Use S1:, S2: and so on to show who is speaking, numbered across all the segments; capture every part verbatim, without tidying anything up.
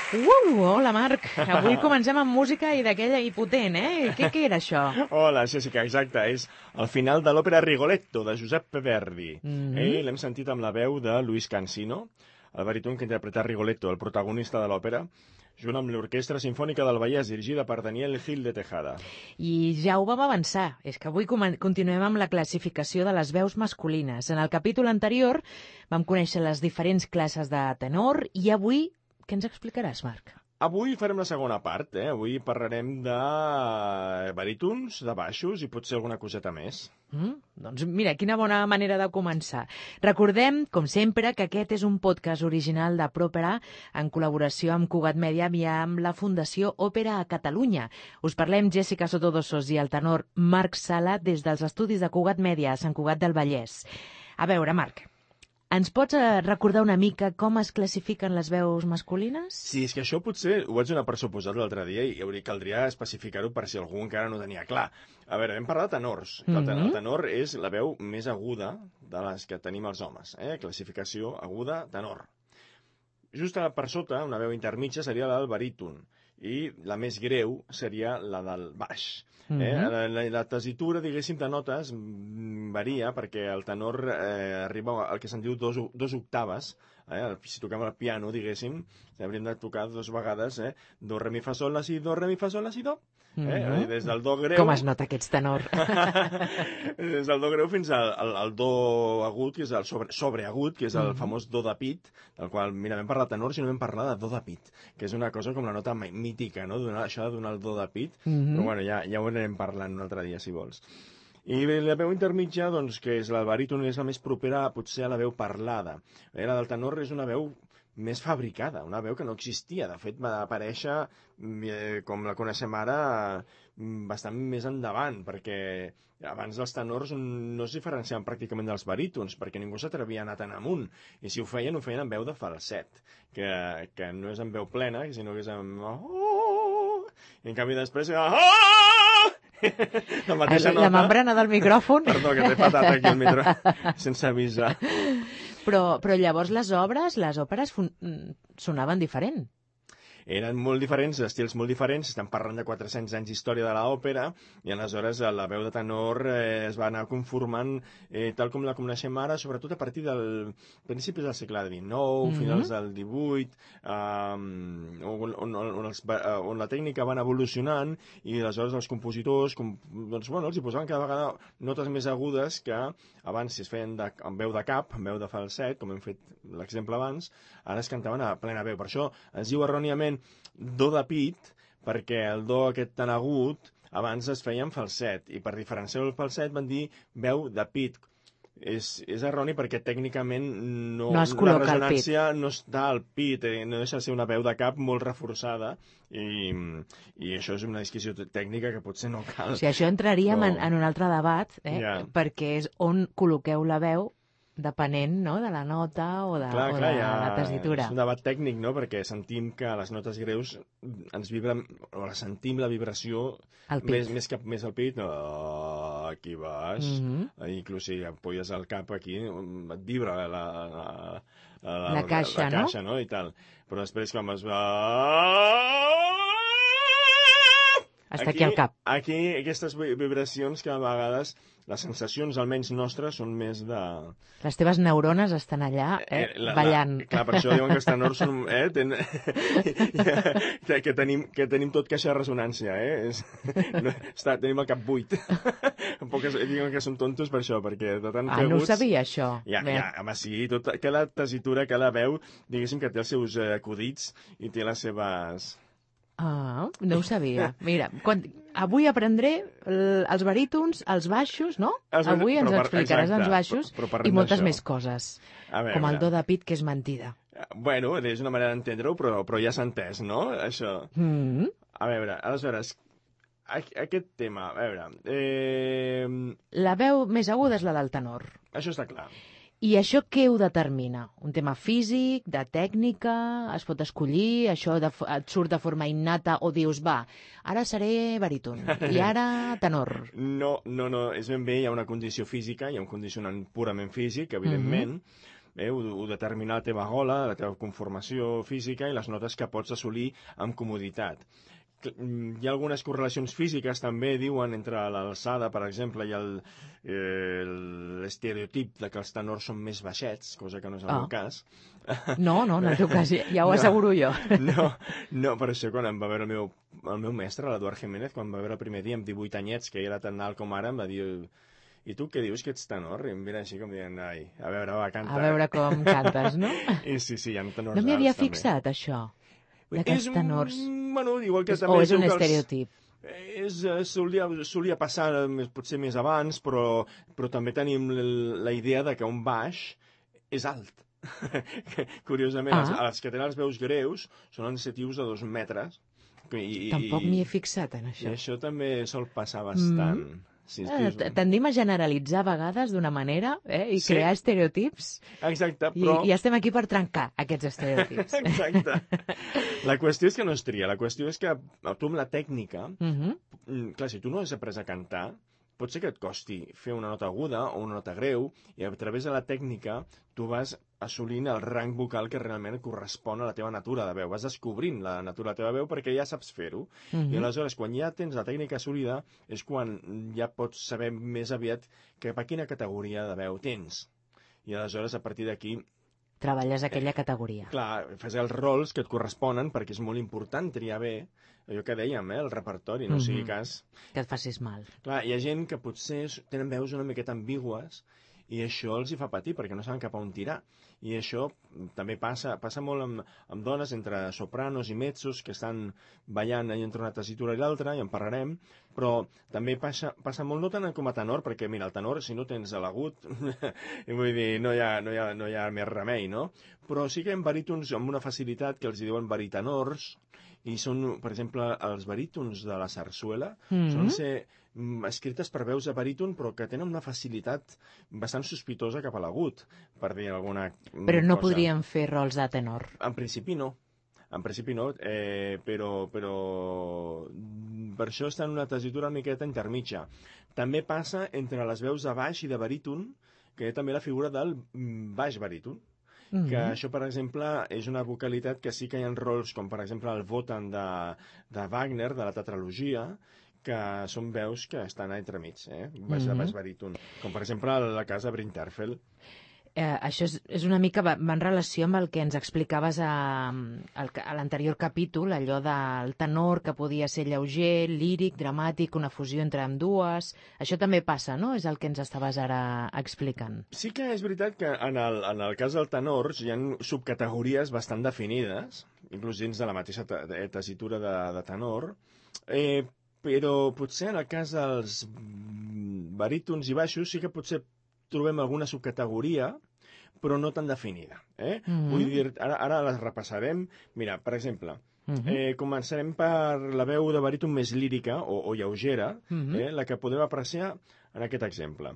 S1: Uh, hola, Marc. Avui comencem amb música i d'aquella hipotent, eh? Què, què era això?
S2: Hola, Jessica, exacte. És el final de l'òpera Rigoletto, de Giuseppe Verdi.
S1: Mm-hmm.
S2: eh, L'hem sentit amb la veu de Luis Cansino, el baríton que interpreta Rigoletto, el protagonista de l'òpera, junt amb l'Orquestra Simfònica del Vallès, dirigida per Daniel Gil de Tejada.
S1: I ja ho vam avançar. És que avui continuem amb la classificació de les veus masculines. En el capítol anterior vam conèixer les diferents classes de tenor i avui què ens explicaràs, Marc?
S2: Avui farem la segona part, eh? Avui parlarem de barítons, de baixos i potser alguna coseta més.
S1: Mm? Doncs mira, quina bona manera de començar. Recordem, com sempre, que aquest és un podcast original de Propera en col·laboració amb Cugat Mèdia i amb la Fundació Òpera a Catalunya. Us parlem Jessica Sotodosos i el tenor Marc Sala des dels estudis de Cugat Mèdia a Sant Cugat del Vallès. A veure, Marc, ens pots recordar una mica com es classifiquen les veus masculines?
S2: Sí, és que això potser ho vaig donar per suposat l'altre dia i hauria, caldria especificar-ho per si algú encara no tenia clar. A veure, hem parlat de tenors. Mm-hmm. El, tenor, el tenor és la veu més aguda de les que tenim els homes. Eh? Classificació aguda, tenor. Just per sota, una veu intermitja seria la del baríton i la més greu seria la del baix. Mm-hmm. eh? la, la, la tessitura, diguéssim, de notes varia perquè el tenor eh, arriba al que se'n diu dos, dos octaves. Eh? Si toquem el piano, diguéssim, hauríem de tocar dues vegades eh? do, re, mi, fa, sol, la, si, do, re, mi, fa, sol, la, si, do. Eh? Mm-hmm. Des del do greu...
S1: Com es nota que ets tenor?
S2: Des del do greu fins al, al, al do agut, que és el sobre, sobreagut, que és el mm-hmm. famós do de pit, del qual, mira, vam parlar de tenor, si no vam parlar de do de pit, que és una cosa com la nota mítica, no? Donar, això de donar el do de pit, mm-hmm. però bueno, ja, ja ho anirem parlant un altre dia, si vols. I la veu intermitja, doncs, que és el baríton, és la més propera potser a la veu parlada. Eh, la del tenor és una veu més fabricada, una veu que no existia. De fet, va aparèixer, eh, com la coneixem ara, bastant més endavant, perquè abans els tenors no es diferenciaven pràcticament dels barítons, perquè ningú s'atrevia a anar tan amunt. I si ho feien, ho feien en veu de falset, que, que no és en veu plena, sinó que és en... Oh! I en canvi després... Oh! La,
S1: la nota... membrana del micròfon.
S2: Perdó, que t'he patat aquí el micro, sense avisar.
S1: Però, però llavors les obres, les òperes sonaven diferent.
S2: Eren molt diferents, estils molt diferents, estem parlant de quatre-cents anys d'història de l'òpera, i aleshores la veu de tenor eh, es va anar conformant eh, tal com la coneixem ara, sobretot a partir del principis del segle dinou, mm-hmm. finals del divuit, eh, on, on, on, els, on la tècnica va anar evolucionant, i aleshores els compositors com, doncs, bueno, els hi posaven cada vegada notes més agudes que abans si es feien de, amb veu de cap, amb veu de falset, com hem fet l'exemple abans, ara es cantaven a plena veu. Per això es diu erròniament do de pit, perquè el do aquest tan agut abans es feia en falset, i per diferenciar el falset van dir veu de pit. És, és erroni perquè tècnicament no,
S1: no
S2: la resonància no està al pit, eh, no deixa de ser una veu de cap molt reforçada, i, i això és una disquisició tècnica que potser no cal.
S1: O sigui, això entraríem no. en, en un altre debat, eh? yeah. perquè és on col·loqueu la veu depenent no? de la nota o de,
S2: clar,
S1: o
S2: clar,
S1: de
S2: ja,
S1: la tessitura.
S2: És un debat tècnic, no? Perquè sentim que les notes greus ens vibren, o la sentim la vibració més, més, cap, més al pit, oh, aquí baix, mm-hmm. inclús si apoyes el cap aquí, et vibra la, la, la, la,
S1: la caixa,
S2: la, la caixa
S1: no?
S2: no? I tal. Però després quan es va...
S1: Està aquí, aquí al cap.
S2: Aquí, aquestes vibracions que a vegades les sensacions, almenys nostres, són més de...
S1: Les teves neurones estan allà, eh, eh la, ballant.
S2: La, clar, per això diuen que els tenors són... Eh, ten, que, que, tenim, que tenim tot caixa de ressonància, eh? És, no, està, tenim el cap buit. Poques, diuen que són tontos per això, perquè de tant
S1: ah,
S2: que
S1: no
S2: aguts...
S1: ho sabia, això.
S2: Ja, ja, home, sí, tot, cada tessitura, cada veu, diguéssim que té els seus eh, acudits i té les seves...
S1: Ah, no ho sabia. Mira, quan, avui aprendré el, els barítons, els baixos, no? Els, avui ens per, explicaràs exacte, els baixos però, però i moltes més coses, veure, com el do de pit, que és mentida.
S2: Bueno, és una manera d'entendre-ho, però, però ja s'ha entès, no? Això. Mm-hmm. A veure, aleshores, aquest tema, a veure... Eh...
S1: La veu més aguda és la del tenor.
S2: Això està clar.
S1: I això què ho determina? Un tema físic, de tècnica, es pot escollir, això de, et surt de forma innata o dius, va, ara seré baríton i ara tenor?
S2: No, no, no, és ben bé, hi ha una condició física, hi ha un condicionant purament físic, evidentment, mm-hmm. eh, ho, ho determina la teva gola, la teva conformació física i les notes que pots assolir amb comoditat. Hi ha algunes correlacions físiques també, diuen, entre l'alçada, per exemple, i l'estereotip de que els tenors són més baixets, cosa que no és el
S1: Ah.
S2: meu cas.
S1: No, no, en el teu cas ja ho
S2: No.
S1: asseguro jo.
S2: No, no, per això quan em va veure el meu, el meu mestre, l'Eduard Jiménez, quan em va veure el primer dia amb divuit anyets, que era tan alt com ara, em va dir: i tu què dius, que ets tenor? I em mira així com dient: ai, a veure, va, canta.
S1: A veure com cantes, no?
S2: I sí, sí, hi ha tenors
S1: No m'hi havia
S2: alts, també.
S1: fixat, això, de que els
S2: És un-
S1: tenors...
S2: Bueno, igual que
S1: És,
S2: també
S1: o és
S2: diu
S1: un
S2: que els-
S1: estereotip?
S2: És, eh, solia, solia passar eh, més- potser més abans, però, però també tenim l- la idea de que un baix és alt. Curiosament,
S1: Ah.
S2: els, els que tenen les veus greus són encetius de dos metres. I,
S1: Tampoc
S2: i-
S1: m'hi he fixat, en
S2: I
S1: això.
S2: això també sol passar bastant. Mm. Si
S1: Eh,
S2: dius...
S1: t- Tendim a generalitzar a vegades d'una manera eh, i
S2: Sí.
S1: crear estereotips.
S2: Exacte,
S1: I,
S2: però...
S1: I estem aquí per trencar aquests estereotips.
S2: Exacte. La qüestió és que no es tria. La qüestió és que tu amb la tècnica...
S1: Mhm.
S2: Mm, clar, si tu no has après a cantar, pot ser que et costi fer una nota aguda o una nota greu, i a través de la tècnica tu vas assolint el rang vocal que realment correspon a la teva natura de veu. Vas descobrint la natura de la teva veu perquè ja saps fer-ho.
S1: Mhm.
S2: I aleshores, quan ja tens la tècnica assolida, és quan ja pots saber més aviat cap a quina categoria de veu tens. I aleshores, a partir d'aquí,
S1: Treballes aquella categoria.
S2: clar, fas els rols que et corresponen, perquè és molt important triar bé allò que dèiem, eh, el repertori, no
S1: Mhm.
S2: sigui cas...
S1: Que et facis mal.
S2: Clar, hi ha gent que potser tenen veus una miqueta ambigües i això els hi fa patir perquè no saben cap a on tirar. I això també passa, passa molt amb, amb dones, entre sopranos i mezzos, que estan ballant entre una tessitura i l'altra, i en parlarem, però també passa, passa molt, no tant com a tenor, perquè mira, el tenor, si no tens l'agut, vull dir, no hi, ha, no, hi ha, no hi ha més remei, no? Però sí que hi ha barítons amb una facilitat que els hi diuen baritenors, i són, per exemple, els barítons de la sarsuela,
S1: Mhm.
S2: solen ser mm, escrites per veus de baríton, però que tenen una facilitat bastant sospitosa cap a l'agut, per dir alguna mm,
S1: Però no
S2: cosa.
S1: podríem fer rols de tenor.
S2: En principi no. En principi no, eh, però, però mm, per això està en una tessitura una miqueta intermitja. També passa entre les veus de baix i de baríton, que hi ha també la figura del mm, baix baríton,
S1: Mhm.
S2: que això, per exemple, és una vocalitat que sí que hi ha rols, com per exemple el Wotan de, de Wagner, de la tetralogia, que són veus que estan entremig, eh? Baix de
S1: Mhm.
S2: baix baríton. Com per exemple la casa Brinterfeld.
S1: Eh, això és, és una mica va, va en relació amb el que ens explicaves a, al- a l'anterior capítol, allò del tenor que podia ser lleuger, líric, dramàtic, una fusió entre ambdues. Això també passa, no? És el que ens estaves ara explicant.
S2: Sí que és veritat que en el, en el cas del tenor hi ha subcategories bastant definides, inclús dins de la mateixa te- tessitura de, de tenor, eh, però potser en el cas dels mm, barítons i baixos sí que potser trobem alguna subcategoria, però no tan definida. Eh?
S1: Mhm.
S2: Vull dir, ara, ara les repassarem. Mira, per exemple,
S1: Mhm.
S2: eh, començarem per la veu de baríton més lírica o, o lleugera,
S1: Mhm.
S2: eh, la que podem apreciar en aquest exemple.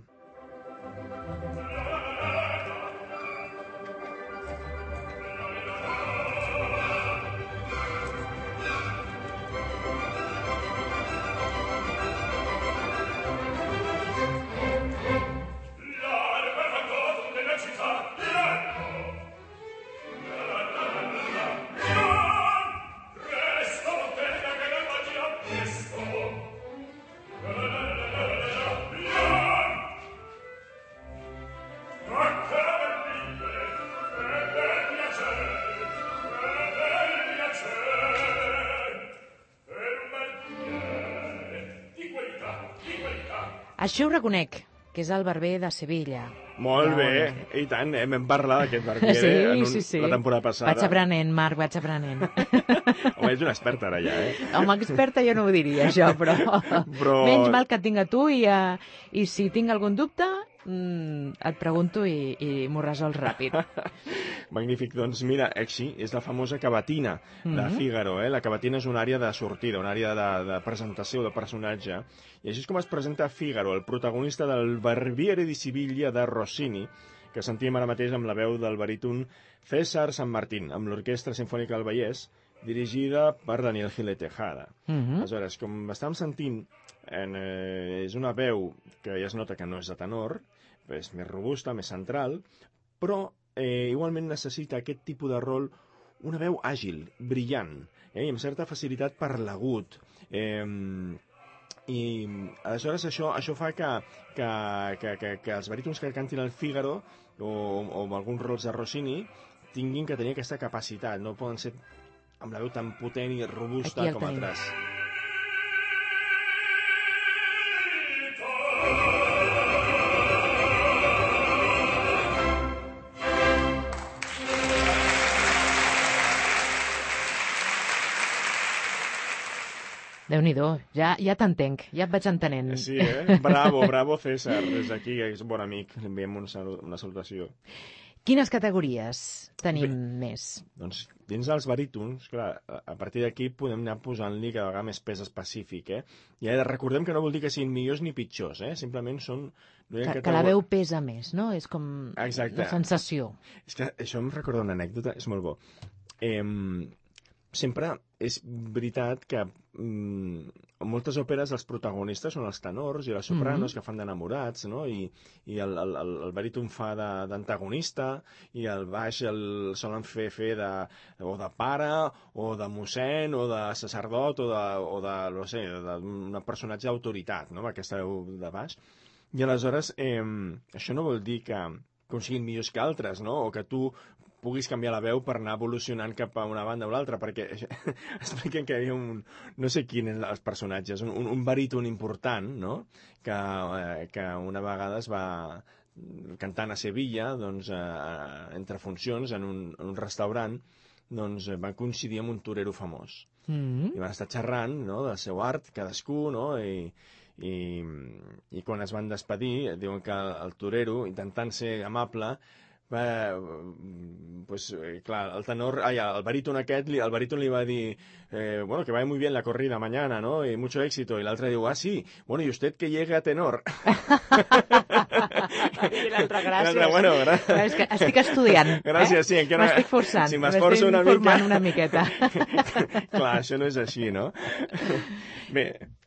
S1: Això ho reconec, que és el barber de Sevilla.
S2: Molt
S1: Ja ho
S2: bé,
S1: veurem.
S2: i tant, eh? Vam parlar d'aquest barbier
S1: Sí,
S2: en un,
S1: sí, sí.
S2: la temporada passada.
S1: Vaig aprenent, Marc, vaig aprenent.
S2: Home, ets una experta ara ja, eh?
S1: Home, experta jo no ho diria, això, però...
S2: Però-
S1: Menys mal que et tinc a tu i, uh, i si tinc algun dubte, mm, et pregunto i, i m'ho resols ràpid.
S2: Magnífic, doncs mira, així és la famosa cavatina de
S1: Mhm.
S2: Fígaro, eh? La cavatina és una àrea de sortida, una àrea de, de presentació de personatge, i així és com es presenta Fígaro, el protagonista del Barbiere di Siviglia de Rossini, que sentíem ara mateix amb la veu del baríton César San Martín, amb l'Orquestra Simfònica del Vallès, dirigida per Daniel Gil de Tejada.
S1: Mhm.
S2: Aleshores, com estàvem sentint, en, eh, és una veu que ja es nota que no és de tenor, és més robusta, més central, però eh, igualment necessita aquest tipus de rol una veu àgil, brillant, eh, i amb certa facilitat per l'agut. Eh, I aleshores això, això fa que, que, que, que, que els barítons que cantin el Fígaro o, o alguns rols de Rossini tinguin que tenir aquesta capacitat, no poden ser amb la veu tan potent i robusta com
S1: tenim.
S2: altres.
S1: Déu-n'hi-do, ja, ja t'entenc, ja et vaig entenent.
S2: Sí, eh? Bravo, bravo, César. Des d'aquí, que és un bon amic, li enviem un salut, una salutació.
S1: Quines categories tenim Bé, més?
S2: Doncs dins dels barítons, clar, a partir d'aquí podem anar posant-li cada vegada més pes específic, eh? I recordem que no vol dir que siguin millors ni pitjors, eh? Simplement són...
S1: Que, que, que la veu pesa més, no? És com
S2: Exacte.
S1: Una sensació.
S2: És que això em recorda una anècdota, és molt bo. Eh, sempre és veritat que mm, en moltes òperes els protagonistes són els tenors i les sopranos mm-hmm. que fan d'enamorats, no? I, i el, el, el, el baríton fa d'antagonista i el baix el solen fer fer de, o de pare o de mossèn o de sacerdot o de, o de no sé, d'un personatge d'autoritat, no? Aquesta veu de baix. I aleshores eh, això no vol dir que, que siguin millors que altres, no? O que tu puguis canviar la veu per anar evolucionant cap a una banda o l'altra, perquè expliquen que hi havia un... no sé quin és els personatges, un, un baríton important, no?, que, eh, que una vegada es va cantant a Sevilla, doncs, eh, entre funcions, en un, en un restaurant, doncs van coincidir amb un torero famós. Mm-hmm. I van estar xerrant, no?, del seu art, cadascú, no?, i, i, i quan es van despedir, diuen que el, el torero, intentant ser amable, va, pues, clar, el tenor, ai, el baríton aquest, el baríton li va dir, eh, bueno, que vaya muy bien la corrida mañana, ¿no? Y mucho éxito. Y l'altre diu, ah, sí, bueno, y usted que llegue a tenor.
S1: I l'altre, gràcies.
S2: Bueno, gra...
S1: És que estic estudiant.
S2: Gràcies,
S1: eh?
S2: sí. Encara...
S1: M'estic forçant.
S2: Si m'esforço una
S1: mica... M'estic
S2: una
S1: miqueta.
S2: Clar, això no és així, no? Bé,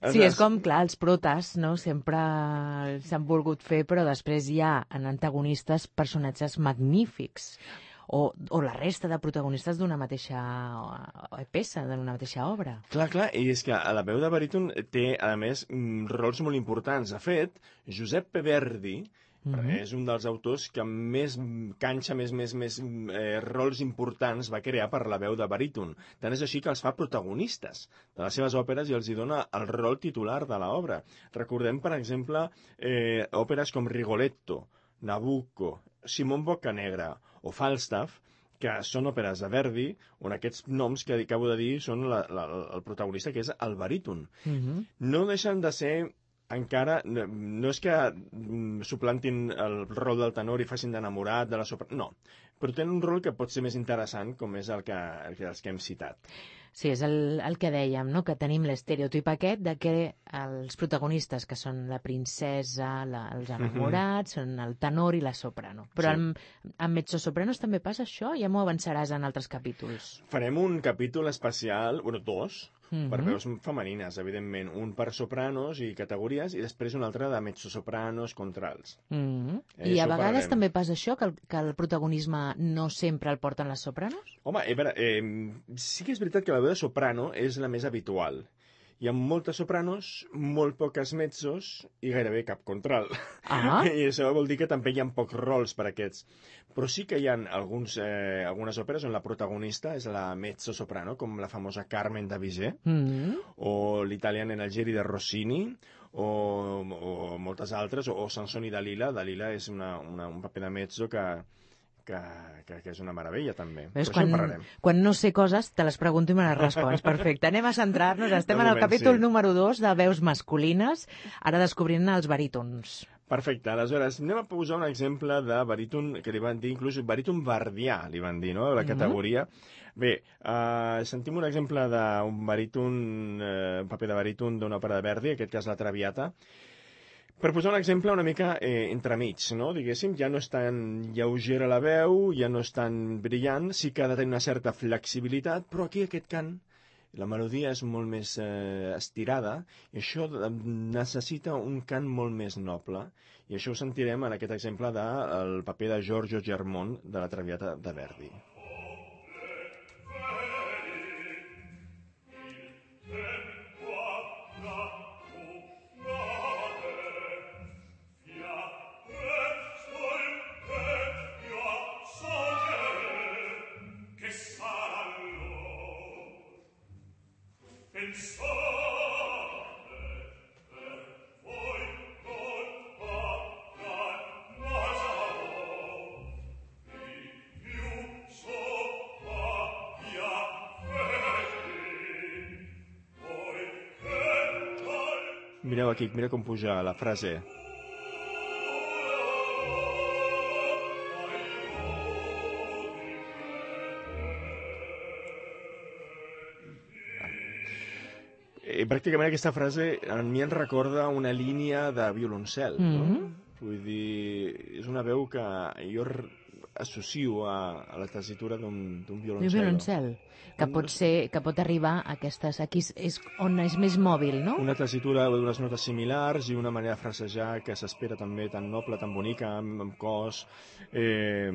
S1: sí, és com, clar, els protes, no?, sempre s'han volgut fer, però després hi ha en antagonistes personatges magnífics. O, o la resta de protagonistes d'una mateixa peça, d'una mateixa obra.
S2: Clar, clar, i és que la veu de baríton té, a més, rols molt importants. De fet, Giuseppe Verdi mm-hmm. és un dels autors que més canxa, més, més, més eh, rols importants va crear per la veu de baríton. Tant és així que els fa protagonistes de les seves òperes i els hi dona el rol titular de l'obra. Recordem, per exemple, eh, òperes com Rigoletto, Nabucco, Simon Boccanegra o Falstaff, que són òperes de Verdi, on aquests noms que acabo de dir són la, la, el protagonista, que és el baríton. Mm-hmm. No deixen de ser encara... No, no és que suplantin el rol del tenor i facin d'enamorat de la soprano, no. Però tenen un rol que pot ser més interessant, com és el que, el que, els que hem citat.
S1: Sí, és el, el que dèiem, no?, que tenim l'estereotip aquest de que els protagonistes, que són la princesa, la, els enamorats, mm-hmm. són el tenor i la soprano. Però sí. amb, amb mezzosopranos també passa això? Ja m'ho avançaràs en altres capítols.
S2: Farem un capítol especial, bueno, dos, mm-hmm. per veus femenines, evidentment. Un per sopranos i categories, i després un altre de mezzosopranos, contrals.
S1: Mm-hmm. Eh, I a vegades parlarem. També passa això, que el, que el protagonisme no sempre el porten les sopranos?
S2: Home, eh, veure, eh, sí que és veritat que la veu de soprano és la més habitual. Hi ha moltes sopranos, molt poques mezzos i gairebé cap contralt. Ah. I això vol dir que també hi ha pocs rols per aquests. Però sí que hi ha alguns, eh, algunes òperes on la protagonista és la mezzo-soprano, com la famosa Carmen de Bizet, mm-hmm. o l'Italian en Algeri de Rossini, o, o moltes altres, o, o Sansón i Dalila. Dalila és una, una, un paper de mezzo que... Que, que, que és una meravella, també.
S1: Veus, quan, quan no sé coses, te les pregunto i me les respons. Perfecte. Anem a centrar-nos. Estem en el capítol sí. número dos de veus masculines, ara descobrint els barítons.
S2: Perfecte. Aleshores, anem a posar un exemple de baríton, que li van dir, inclús baríton verdià, li van dir, no?, la categoria. Mm-hmm. Bé, uh, sentim un exemple d'un baríton, uh, un paper de baríton d'una òpera de Verdi, en aquest cas la Traviata. Per posar un exemple una mica eh, entremig, no? Diguéssim, ja no és tan lleugera la veu, ja no és tan brillant, sí que ha de tenir una certa flexibilitat, però aquí aquest cant la melodia és molt més eh, estirada, i això necessita un cant molt més noble, i això ho sentirem en aquest exemple del paper de Giorgio Germont de la Traviata de Verdi. Mireu aquí, mira com puja la frase. I pràcticament aquesta frase a mi em recorda una línia de violoncel, no? Mm-hmm. Vull dir, és una veu que jo associo a, a la tessitura d'un violoncel.
S1: Un violoncel, que pot, ser, que pot arribar a aquestes... Aquí és on és més mòbil, no?
S2: Una tessitura d'unes notes similars i una manera de frasejar que s'espera també tan noble, tan bonica, amb, amb cos, eh,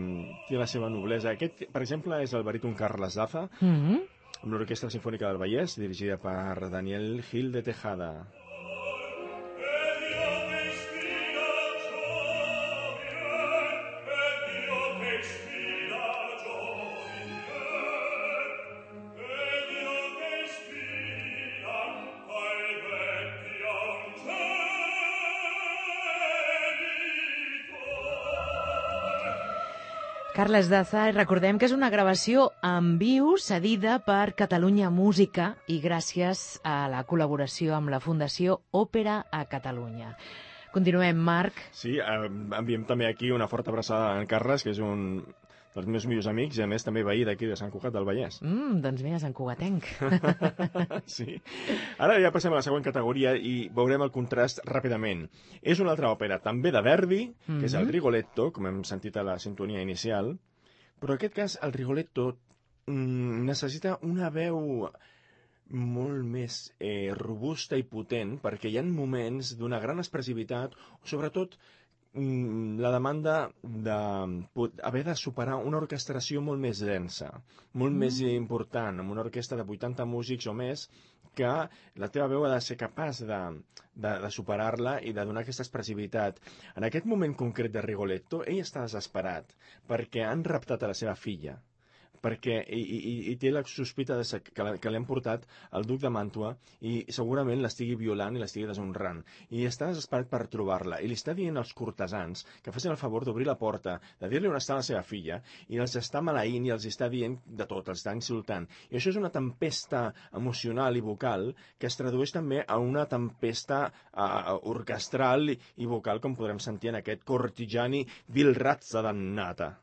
S2: té la seva noblesa. Aquest, per exemple, és el baríton Carles Daza, mm-hmm. amb l'Orquestra Simfònica del Vallès, dirigida per Daniel Gil de Tejada.
S1: Carles Daza, recordem que és una gravació en viu cedida per Catalunya Música i gràcies a la col·laboració amb la Fundació Òpera a Catalunya. Continuem, Marc.
S2: Sí, eh, enviem també aquí una forta abraçada a en Carles, que és un dels meus millors amics i a més també veí d'aquí de Sant Cugat del Vallès.
S1: Mm, doncs mira, Sant Cugatenc.
S2: Sí. Ara ja passem a la següent categoria i veurem el contrast ràpidament. És una altra òpera, també de Verdi, mm-hmm. que és el Rigoletto, com hem sentit a la sintonia inicial, però en aquest cas el Rigoletto mm, necessita una veu molt més eh, robusta i potent, perquè hi ha moments d'una gran expressivitat, sobretot la demanda d'haver de superar una orquestració molt més densa, molt mm. més important, amb una orquestra de vuitanta músics o més, que la teva veu ha de ser capaç de, de, de superar-la i de donar aquesta expressivitat. En aquest moment concret de Rigoletto, ell està desesperat perquè han raptat a la seva filla, perquè i, i, i té la sospita de ser, que, que l'hem portat al duc de Màntua i segurament l'estigui violant i l'estigui deshonrant. I està desesperat per trobar-la. I li està dient als cortesans que facin el favor d'obrir la porta, de dir-li on està la seva filla, i els està maleint i els està dient de tot, els està insultant. I això és una tempesta emocional i vocal que es tradueix també a una tempesta uh, orquestral i, i vocal, com podrem sentir en aquest Cortigiani Vil razza dannata.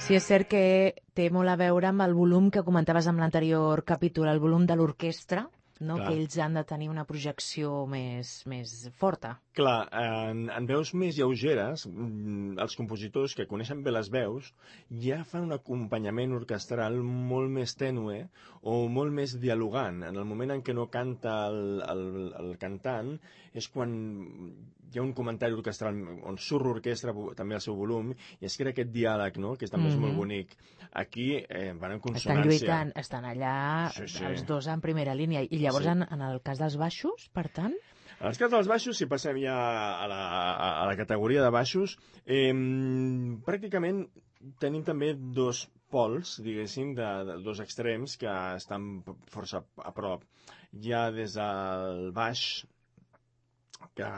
S1: Sí, és cert que té molt a veure amb el volum que comentaves en l'anterior capítol, el volum de l'orquestra, no? Que ells han de tenir una projecció més, més forta.
S2: Clar, en, en veus més lleugeres, els compositors que coneixen bé les veus ja fan un acompanyament orquestral molt més tènue o molt més dialogant. En el moment en què no canta el, el, el cantant és quan hi ha un comentari orquestral on surt l'orquestra també al seu volum i es crea aquest diàleg, no?, que també mm-hmm. és molt bonic. Aquí eh, van en consonància.
S1: Estan lluitant, estan allà sí, sí. els dos en primera línia. I llavors, sí. en, en el cas dels baixos, per tant...
S2: En el cas dels baixos, si passem ja a la, a, a la categoria de baixos, eh, pràcticament tenim també dos pols, diguéssim, de, de dos extrems que estan força a prop. Hi ha des del baix, que,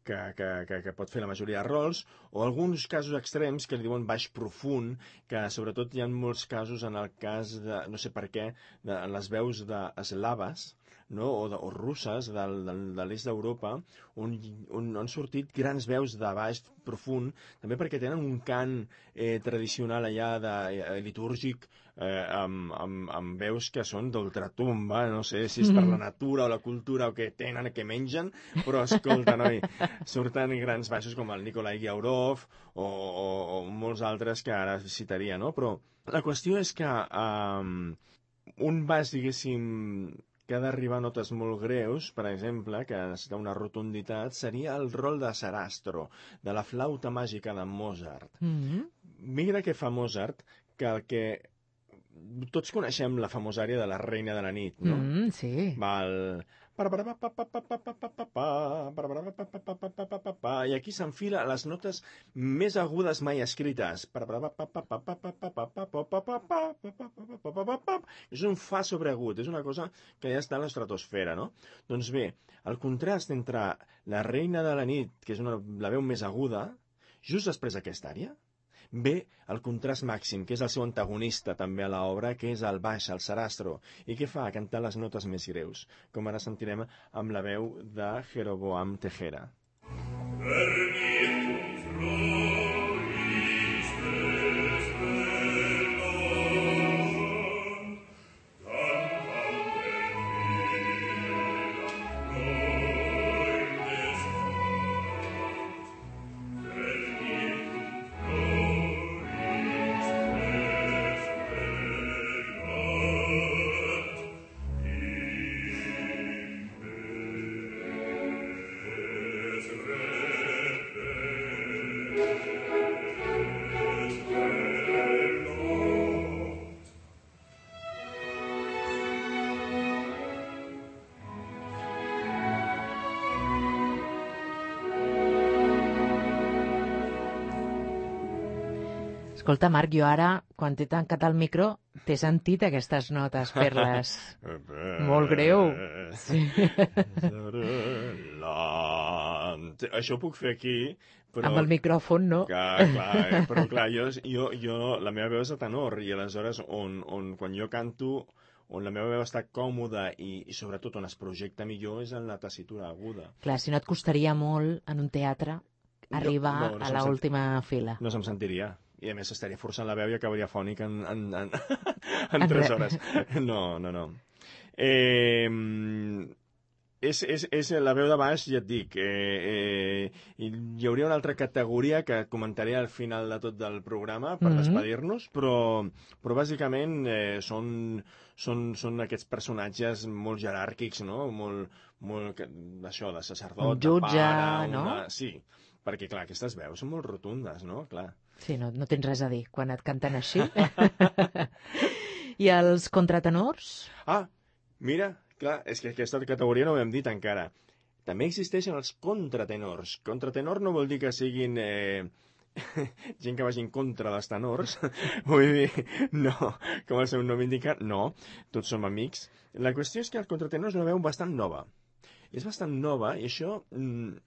S2: que, que, que, que pot fer la majoria de rols, o alguns casos extrems que li diuen baix profund, que sobretot hi ha molts casos en el cas de, no sé per què, de les veus d'eslaves, no? o, de, o russes del, del, de l'est d'Europa, on, on han sortit grans veus de baix profund, també perquè tenen un cant eh, tradicional allà de, eh, litúrgic, eh, amb, amb, amb veus que són d'ultratumba, no sé si és per la natura o la cultura o què tenen, què mengen, però escolta, noi, surten grans baixos com el Nikolai Giaurov o, o, o molts altres que ara citaria, no? Però la qüestió és que um, un baix, diguéssim, que ha d'arribar a notes molt greus, per exemple, que necessita una rotunditat, seria el rol de Sarastro, de la flauta màgica de Mozart.
S1: Mm-hmm.
S2: Mira què fa Mozart, que el que... Tots coneixem la famosa àrea de la Reina de la Nit, no?
S1: Mm, sí.
S2: Val... I aquí s'enfila les notes més agudes mai escrites. És un fa sobreagut, és una cosa que ja està a l'estratosfera, no? Doncs bé, el contrast entre la Reina de la Nit, que és una, la veu més aguda, just després d'aquesta àrea, ve el contrast màxim, que és el seu antagonista també a l'obra, que és el baix, el Sarastro, i què fa? Cantar les notes més greus, com ara sentirem amb la veu de Jeroboam Tejera.
S1: Escolta, Marc, jo ara, quan t'he tancat el micro, t'he sentit aquestes notes fer-les molt greu. Sí.
S2: Això ho puc fer aquí, però...
S1: Amb el micròfon, no?
S2: Clar, clar, però clar, jo, jo, jo, la meva veu és de tenor, i aleshores, on, on, quan jo canto, on la meva veu està còmoda i, i sobretot on es projecta millor és en la tessitura aguda.
S1: Clar, si no et costaria molt en un teatre arribar no, no, no a l'última sent... fila.
S2: No se'm sentiria. I a més estaria forçant la veu i acabaria fònic en, en, en, en tres hores. No, no, no. Eh, és, és, és la veu de baix, ja et dic. Eh, eh, hi hauria una altra categoria que comentaré al final de tot del programa per mm-hmm. despedir-nos, però, però bàsicament eh, són, són, són aquests personatges molt jeràrquics, no? Molt, molt això, de sacerdot,
S1: un jutge,
S2: de pare,
S1: no?
S2: Una... Sí, perquè, clar, aquestes veus són molt rotundes, no? Clar.
S1: Sí, no, no tens res a dir quan et canten així. I els contratenors?
S2: Ah, mira, clar, és que aquesta categoria no ho hem dit encara. També existeixen els contratenors. Contratenor no vol dir que siguin eh, gent que vagi en contra dels tenors. Vull dir, no, com el seu nom indica, no, tots som amics. La qüestió és que el contratenor és una veu bastant nova. És bastant nova i això... Mm,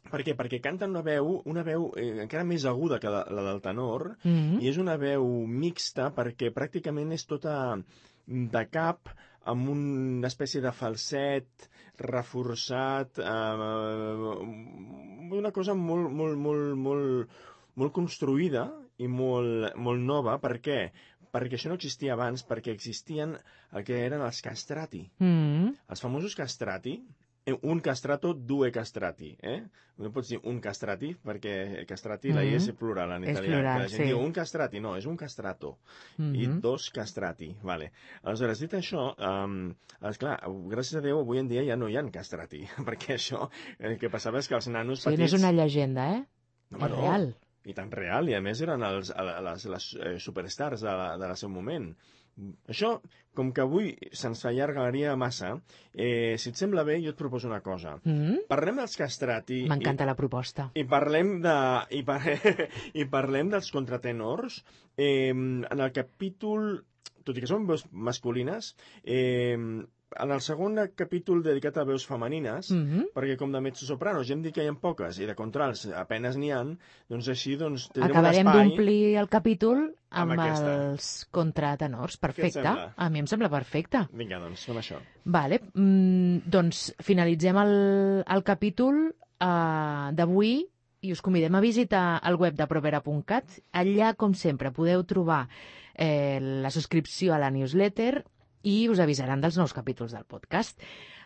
S2: Per què? Perquè canten una veu, una veu eh, encara més aguda que la, la del tenor, mm-hmm. i és una veu mixta perquè pràcticament és tota de cap amb una espècie de falset reforçat, eh, una cosa molt, molt, molt, molt, molt construïda i molt, molt nova. Per què? Perquè això no existia abans, perquè existien el que eren els castrati. Mm-hmm. Els famosos castrati, un castrato, due castrati, eh? No pots dir un castrati, perquè castrati mm-hmm. la I és plural en italià.
S1: És plural,
S2: la gent
S1: sí.
S2: diu un castrati, no, és un castrato. Mm-hmm. I dos castrati, vale. Aleshores, dit això, um, esclar, gràcies a Déu, avui en dia ja no hi ha castrati, perquè això, el que passava és que els nanos
S1: sí,
S2: petits...
S1: no és una llegenda, eh?
S2: No,
S1: és
S2: no.
S1: real.
S2: i tan real, i a més eren els, les, les superstars de la, de la seu moment. Això, com que avui se'ns allargaria massa, eh, si et sembla bé, jo et proposo una cosa.
S1: Mm?
S2: Parlem dels castrati...
S1: M'encanta la proposta.
S2: I parlem, de, i, par i parlem dels contratenors eh, en el capítol, tot i que són veus masculines, eh, en el segon capítol dedicat a veus femenines,
S1: Mm-hmm.
S2: perquè com de mezzosoprano ja hem dit que hi ha poques i de contrals apenes n'hi ha, doncs així doncs, tindrem
S1: Acabarem
S2: un espai...
S1: d'omplir el capítol amb,
S2: amb
S1: els contratenors. Perfecte. A mi em sembla perfecte.
S2: Vinga, doncs, fem això.
S1: Vale. Mm, doncs finalitzem el, el capítol uh, d'avui i us convidem a visitar el web de propera punt cat. Allà, com sempre, podeu trobar eh, la subscripció a la newsletter i us avisaran dels nous capítols del podcast.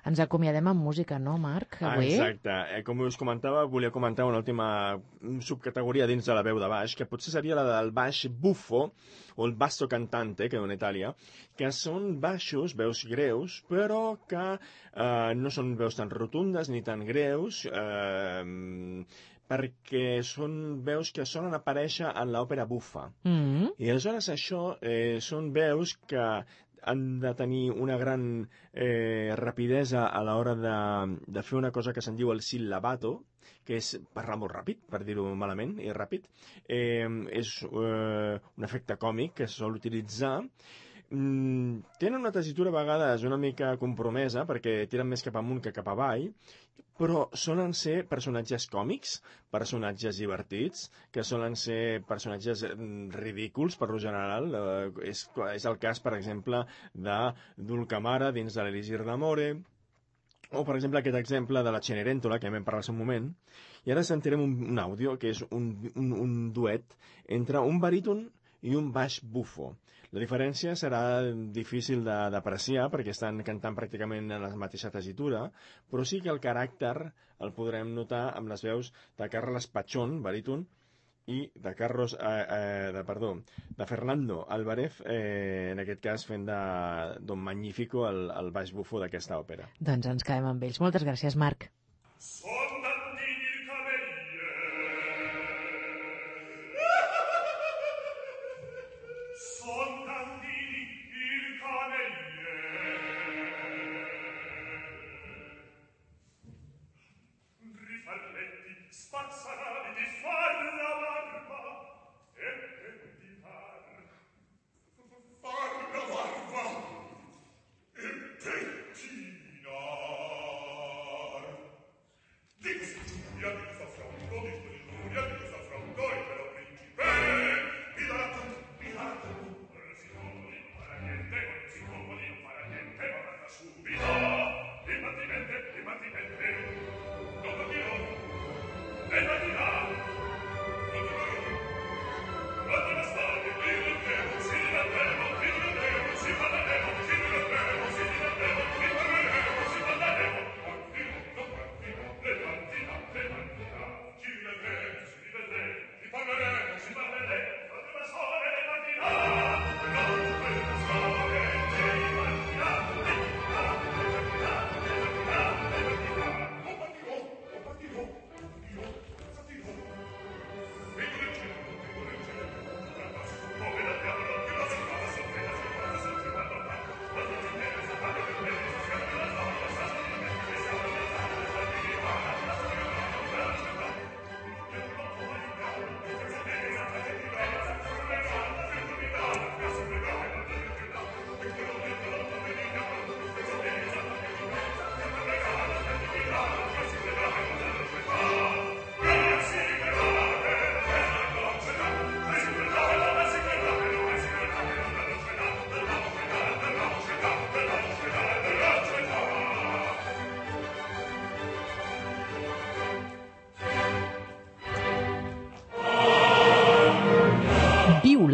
S1: Ens acomiadem amb música, no, Marc? Avui?
S2: Ah, exacte. Eh, com us comentava, volia comentar una última subcategoria dins de la veu de baix, que potser seria la del baix buffo, o el basso cantante, que diu en Itàlia, que són baixos, veus greus, però que eh, no són veus tan rotundes ni tan greus, eh, perquè són veus que solen aparèixer en l'òpera buffa.
S1: Mm-hmm.
S2: I aleshores això eh, són veus que han de tenir una gran eh, rapidesa a l'hora de, de fer una cosa que se'n diu el sillabato, que és parlar molt ràpid, per dir-ho malament, i ràpid. Eh, és eh, un efecte còmic que es sol utilitzar. Mm, tenen una tessitura a vegades una mica compromesa, perquè tiren més cap amunt que cap avall, però solen ser personatges còmics, personatges divertits, que solen ser personatges ridículs, per lo general. Eh, és, és el cas, per exemple, de Dulcamara dins de l'Elisir d'Amore, o, per exemple, aquest exemple de la Cenerentola, que ja vam parlar en un moment. I ara sentirem un, un àudio, que és un, un, un duet entre un baríton i un baix bufo. La diferència serà difícil d'apreciar perquè estan cantant pràcticament en la mateixa tessitura, però sí que el caràcter el podrem notar amb les veus de Carles Pachón, baríton, i de Carlos, eh, eh, de, perdó, de Fernando Álvarez, eh, en aquest cas fent de Don Magnífico el, el baix bufo d'aquesta òpera.
S1: Doncs ens quedem amb ells. Moltes gràcies, Marc.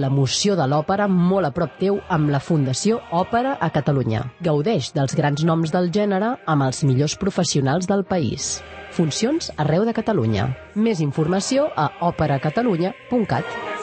S3: L'emoció de l'òpera molt a prop teu amb la Fundació Òpera a Catalunya. Gaudeix dels grans noms del gènere amb els millors professionals del país. Funcions arreu de Catalunya. Més informació a òpera catalunya punt cat.